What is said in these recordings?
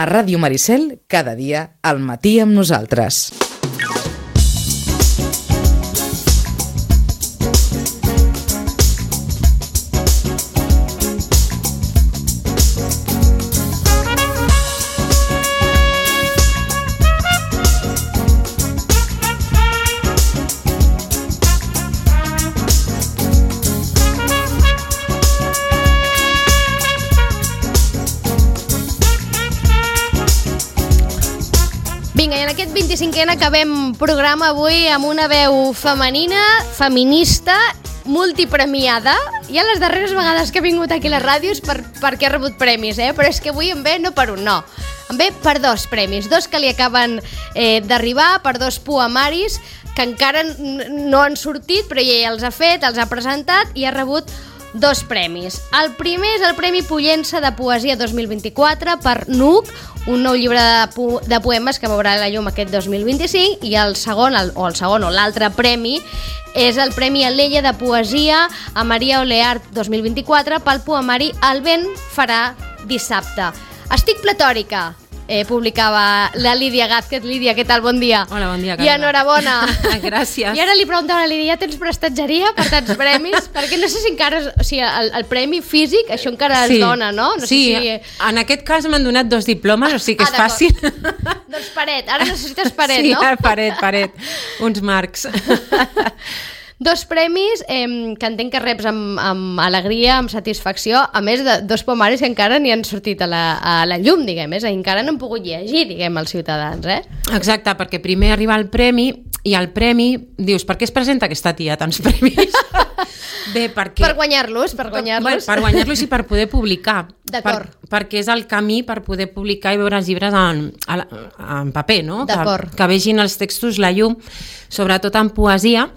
A Ràdio Maricel, cada dia, al matí amb nosaltres. Vinga, i en aquest 25è acabem programa avui amb una veu femenina, feminista, multipremiada. Ja les darreres vegades que he vingut aquí a les ràdios perquè he rebut premis, però és que avui em ve no per un, no. Em ve per 2 premis, 2 que li acaben d'arribar, per 2 poemaris que encara no han sortit, però ella ja els ha fet, els ha presentat i ha rebut 2 premis. El primer és el Premi Pollença de Poesia 2024 per Nuc, un nou llibre de poemes que veurà la llum aquest 2025, i el segon o l'altre premi és el Premi Alella de Poesia a Maria Oleart 2024 pel poemari El vent farà dissabte. Estic pletòrica, publicava la Lídia Gázquez. Lídia, què tal? Bon dia. Hola, bon dia, Carla. I enhorabona. Gràcies. I ara li preguntava a la Lídia, ja tens prestatgeria per tants premis? Perquè no sé si encara, o sigui, el premi físic, això encara es dona, no? No sí, sé si... en aquest cas m'han donat 2 diplomes, o sigui que és fàcil. Doncs paret, ara necessites paret, sí, no? Sí, paret, uns marcs. 2 premis que entenc que reps amb alegria, amb satisfacció, a més de 2 poemaris que encara ni han sortit a la llum, diguem, encara no han pogut llegir, diguem, els ciutadans, Exacte, perquè primer arriba el premi, i el premi, dius, per què es presenta aquesta tia tants premis? Bé, perquè... Per guanyar-los. Per guanyar-los i per poder publicar. D'acord. Perquè és el camí per poder publicar i veure els llibres en paper, no? D'acord. Que vegin els textos la llum, sobretot en poesia.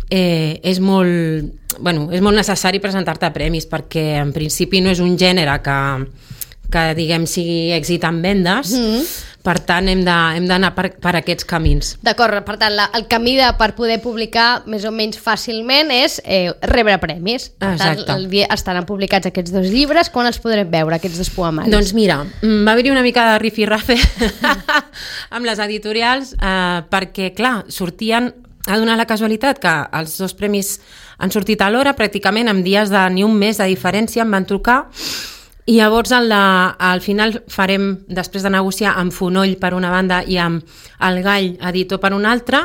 És molt necessari presentar-te a premis, perquè en principi no és un gènere que diguem sigui èxit en vendes, per tant hem d'anar per aquests camins. D'acord, per tant el camí per poder publicar més o menys fàcilment és rebre premis. Per Exacte. tant, estaran publicats aquests 2 llibres. Quan els podrem veure, aquests 2 poemaris? Doncs mira, va haver-hi una mica de rifirrafe amb les editorials, perquè clar, ha donat la casualitat que els 2 premis han sortit a l'hora, pràcticament amb dies de ni un mes de diferència em van trucar, i llavors al final farem, després de negociar amb Fonoll per una banda i amb el Gall editor per una altra,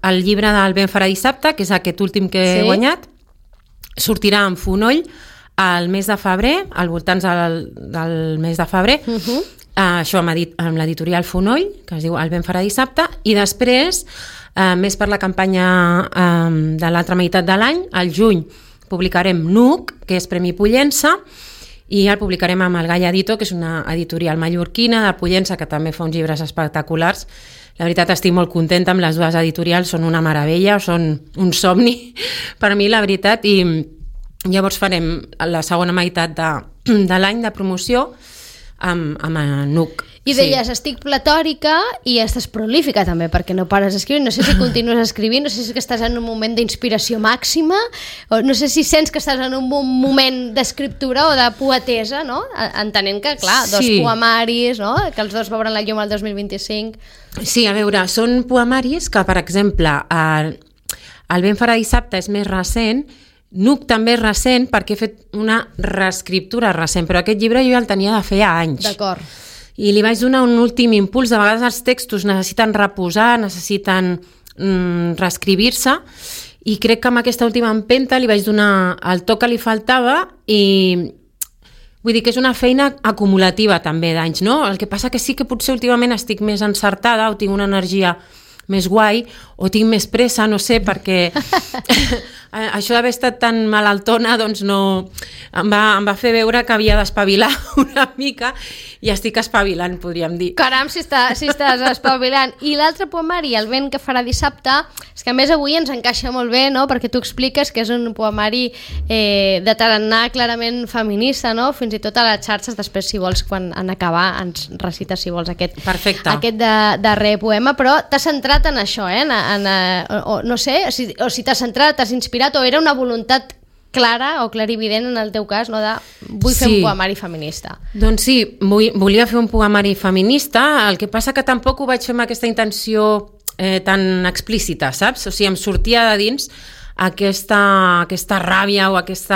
el llibre del vent farà dissabte, que és aquest últim que he guanyat, sortirà amb Fonoll al mes de febrer, al voltants del mes de febrer, això amb l'editorial Fonoll, que es diu El vent farà dissabte, i després, més per la campanya de l'altra meitat de l'any, al juny publicarem Nuc, que és Premi Pollença, i el publicarem amb el Gall Editor, que és una editorial mallorquina de Pollença, que també fa uns llibres espectaculars. La veritat, estic molt contenta amb les 2 editorials, són una meravella, són un somni per mi, la veritat, i llavors farem la segona meitat de l'any de promoció amb Nuc. I deies, estic platòrica i estàs prolífica també, perquè no pares d'escriure. No sé si continues escrivint, no sé si estàs en un moment d'inspiració màxima, o no sé si sents que estàs en un moment d'escriptura o de poetesa, no? Entenent que, clar, 2 poemaris, no? Que els 2 veuran la llum el 2025. Sí, a veure, són poemaris que, per exemple, el vent farà dissabte és més recent, Nuc també és recent perquè he fet una reescriptura recent, però aquest llibre jo ja el tenia de feia anys. D'acord. I li vaig donar un últim impuls. De vegades els textos necessiten reposar, necessiten reescrivir-se, i crec que amb aquesta última empenta li vaig donar el to que li faltava, i vull dir que és una feina acumulativa també d'anys, no? El que passa que sí que potser últimament estic més encertada o tinc una energia més guai, o tinc més pressa, no sé, perquè això d'haver estat tan malaltona doncs no, em va fer veure que havia d'espavilar una mica, i estic espavilant, podríem dir. Caram, si estàs espavilant. I l'altre poemari, El vent que farà dissabte, és que a més avui ens encaixa molt bé, no? Perquè tu expliques que és un poemari de tarannà clarament feminista, no? Fins i tot a les xarxes, després, si vols, quan en acabar, ens recites, si vols, aquest darrer poema, però t'has centrat en això, no sé, o si t'has centrat, t'has inspirat, o era una voluntat clara o clarivident en el teu cas, no, de vull fer un poemari feminista. Doncs sí, volia fer un poemari feminista, el que passa que tampoc ho vaig fer amb aquesta intenció tan explícita, saps? O sigui, em sortia de dins aquesta ràbia o aquest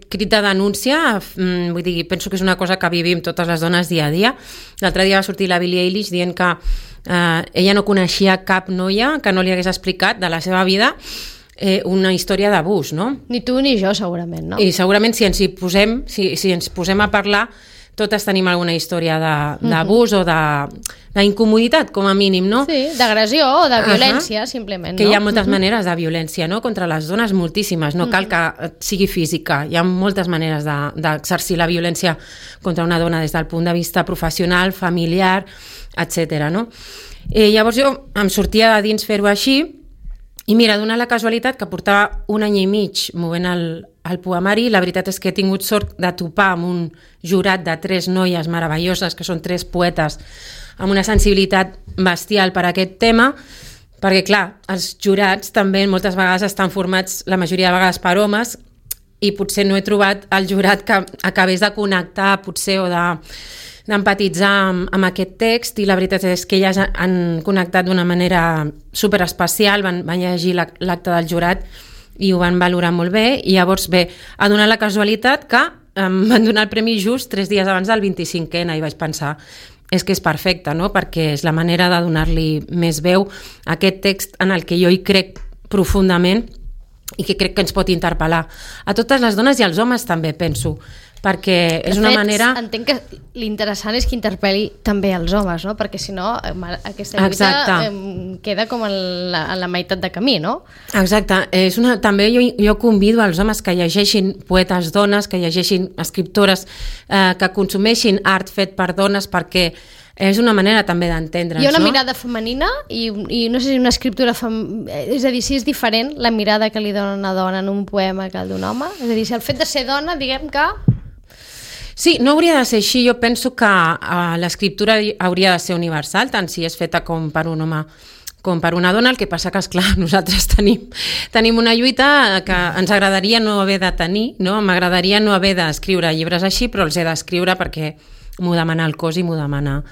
crit de denúncia. Vull dir, penso que és una cosa que vivim totes les dones dia a dia. L'altre dia va sortir la Billie Eilish dient que ella no coneixia cap noia que no li hagués explicat de la seva vida una història d'abús, no? Ni tu ni jo, segurament, no? I segurament si ens posem a parlar, totes tenim alguna història d'abús o d'incomoditat, com a mínim, no? Sí, d'agressió o de violència, simplement, no? Que hi ha moltes maneres de violència, no? Contra les dones, moltíssimes. No cal que sigui física. Hi ha moltes maneres d'exercir la violència contra una dona des del punt de vista professional, familiar, etc. No? Llavors jo em sortia de dins fer-ho així. I mira, dona la casualitat que portava 1 any i mig movent el poemari. La veritat és que he tingut sort de topar amb un jurat de 3 noies meravelloses, que són 3 poetes amb una sensibilitat bestial per a aquest tema, perquè, clar, els jurats també moltes vegades estan formats, la majoria de vegades, per homes, i potser no he trobat el jurat que acabés de connectar, potser, o d'empatitzar amb aquest text, i la veritat és que elles han connectat d'una manera superespecial, van llegir l'acte del jurat i ho van valorar molt bé, i llavors bé, ha donat la casualitat que em van donar el premi just 3 dies abans del 25N, i vaig pensar, és que és perfecte, no? Perquè és la manera de donar-li més veu a aquest text en el que jo hi crec profundament i que crec que ens pot interpel·lar a totes les dones i als homes també, penso, perquè és una manera... Entenc que l'interessant és que interpel·li també els homes, no? Perquè si no, aquesta lluita queda com en la meitat de camí, no? Exacte. També jo convido als homes que llegeixin poetes dones, que llegeixin escriptores, que consumeixin art fet per dones, perquè és una manera també d'entendre'ns, no? Hi ha una mirada femenina i no sé si una escriptura és a dir, si és diferent la mirada que li dona una dona en un poema que el d'un home, és a dir, si el fet de ser dona, diguem que... Sí, no hauria de ser així. Jo penso que l'escriptura hauria de ser universal, tant si és feta com per un home com per una dona. El que passa que, esclar, nosaltres tenim una lluita que ens agradaria no haver de tenir, no? M'agradaria no haver d'escriure llibres així, però els he d'escriure perquè m'ho demana el cos i m'ho demana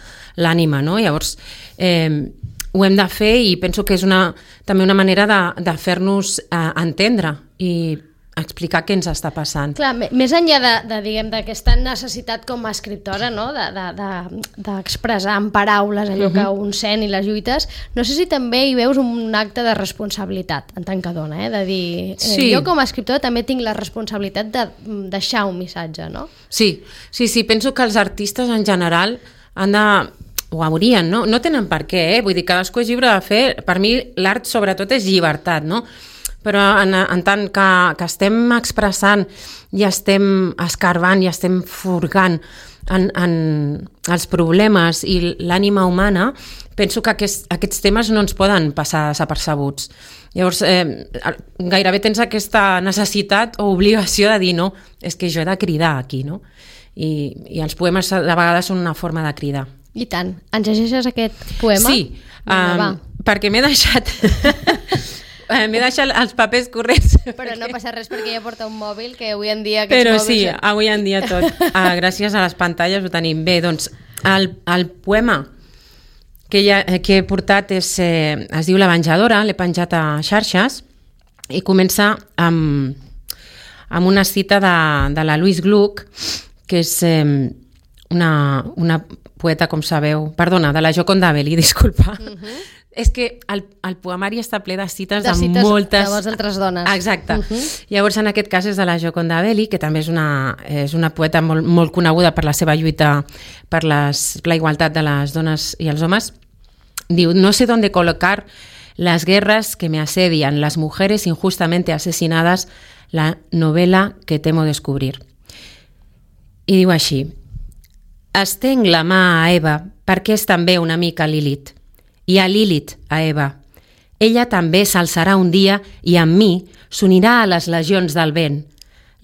l'ànima, no? Llavors, ho hem de fer, i penso que és també una manera de fer-nos entendre i explicar què ens està passant. Clar, més enllà d'aquesta necessitat com a escriptora, no? d'expressar en paraules allò que un sent i les lluites, no sé si també hi veus un acte de responsabilitat en tant que dona, de dir, jo com a escriptora també tinc la responsabilitat de deixar un missatge, no? Sí, penso que els artistes en general han de... ho haurien, no? No tenen per què, vull dir, cadascú és lliure de fer. Per mi l'art sobretot és llibertat, no? Però en tant que estem expressant i estem escarbant i estem furgant en els problemes i l'ànima humana, penso que aquests temes no ens poden passar desapercebuts. Llavors, gairebé tens aquesta necessitat o obligació de dir, no, és que jo he de cridar aquí, no? I els poemes de vegades són una forma de cridar. I tant. Ens llegeixes aquest poema? Sí, perquè m'he deixat... M'he deixat els papers corrents. Però no passa res perquè ja porta un mòbil, que avui en dia... Però sí, avui en dia tot. Gràcies a les pantalles ho tenim bé. Doncs el poema que he portat es diu La venjadora, l'he penjat a xarxes, i comença amb una cita de la Louise Gluck, que és una poeta, com sabeu... Perdona, de la Gioconda Belli, disculpa. És que el poemari està ple de cites de moltes... De altres dones. Exacte. Llavors, en aquest cas és de la Gioconda Belli, que també és una poeta molt, molt coneguda per la seva lluita per la igualtat de les dones i els homes. Diu, no sé dónde colocar las guerras que me asedian, las mujeres injustamente asesinadas, la novela que temo descobrir. I diu així, estenc la mà a Eva perquè és també una mica Lilith. I a Lilith, a Eva. Ella també s'alçarà un dia i amb mi s'unirà a les legions del vent.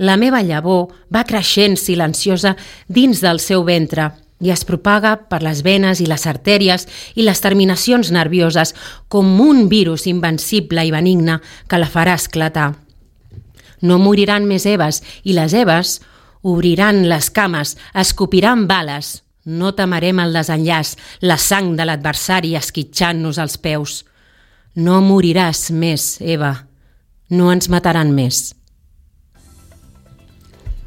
La meva llavor va creixent silenciosa dins del seu ventre i es propaga per les venes i les artèries i les terminacions nervioses com un virus invencible i benigne que la farà esclatar. No moriran més Eves, i les Eves obriran les cames, escopiran bales. No temerem el desenllaç, la sang de l'adversari esquitxant-nos als peus. No moriràs més, Eva. No ens mataran més.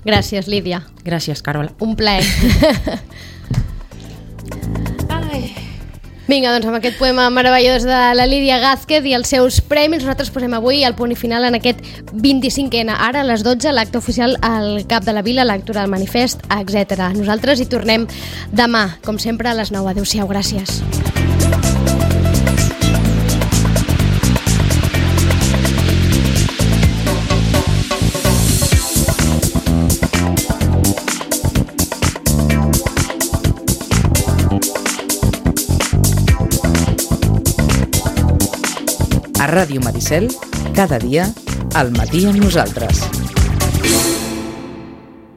Gràcies, Lídia. Gràcies, Carola. Un plaer. Vinga, doncs amb aquest poema meravellós de la Lídia Gázquez i els seus premis, nosaltres posem avui el punt i final en aquest 25ena. Ara, a les 12, l'acte oficial al Cap de la Vila, la lectura del manifest, etc. Nosaltres hi tornem demà, com sempre, a les 9. Adéu-siau, gràcies. A Ràdio Maricel, cada dia, al matí amb nosaltres.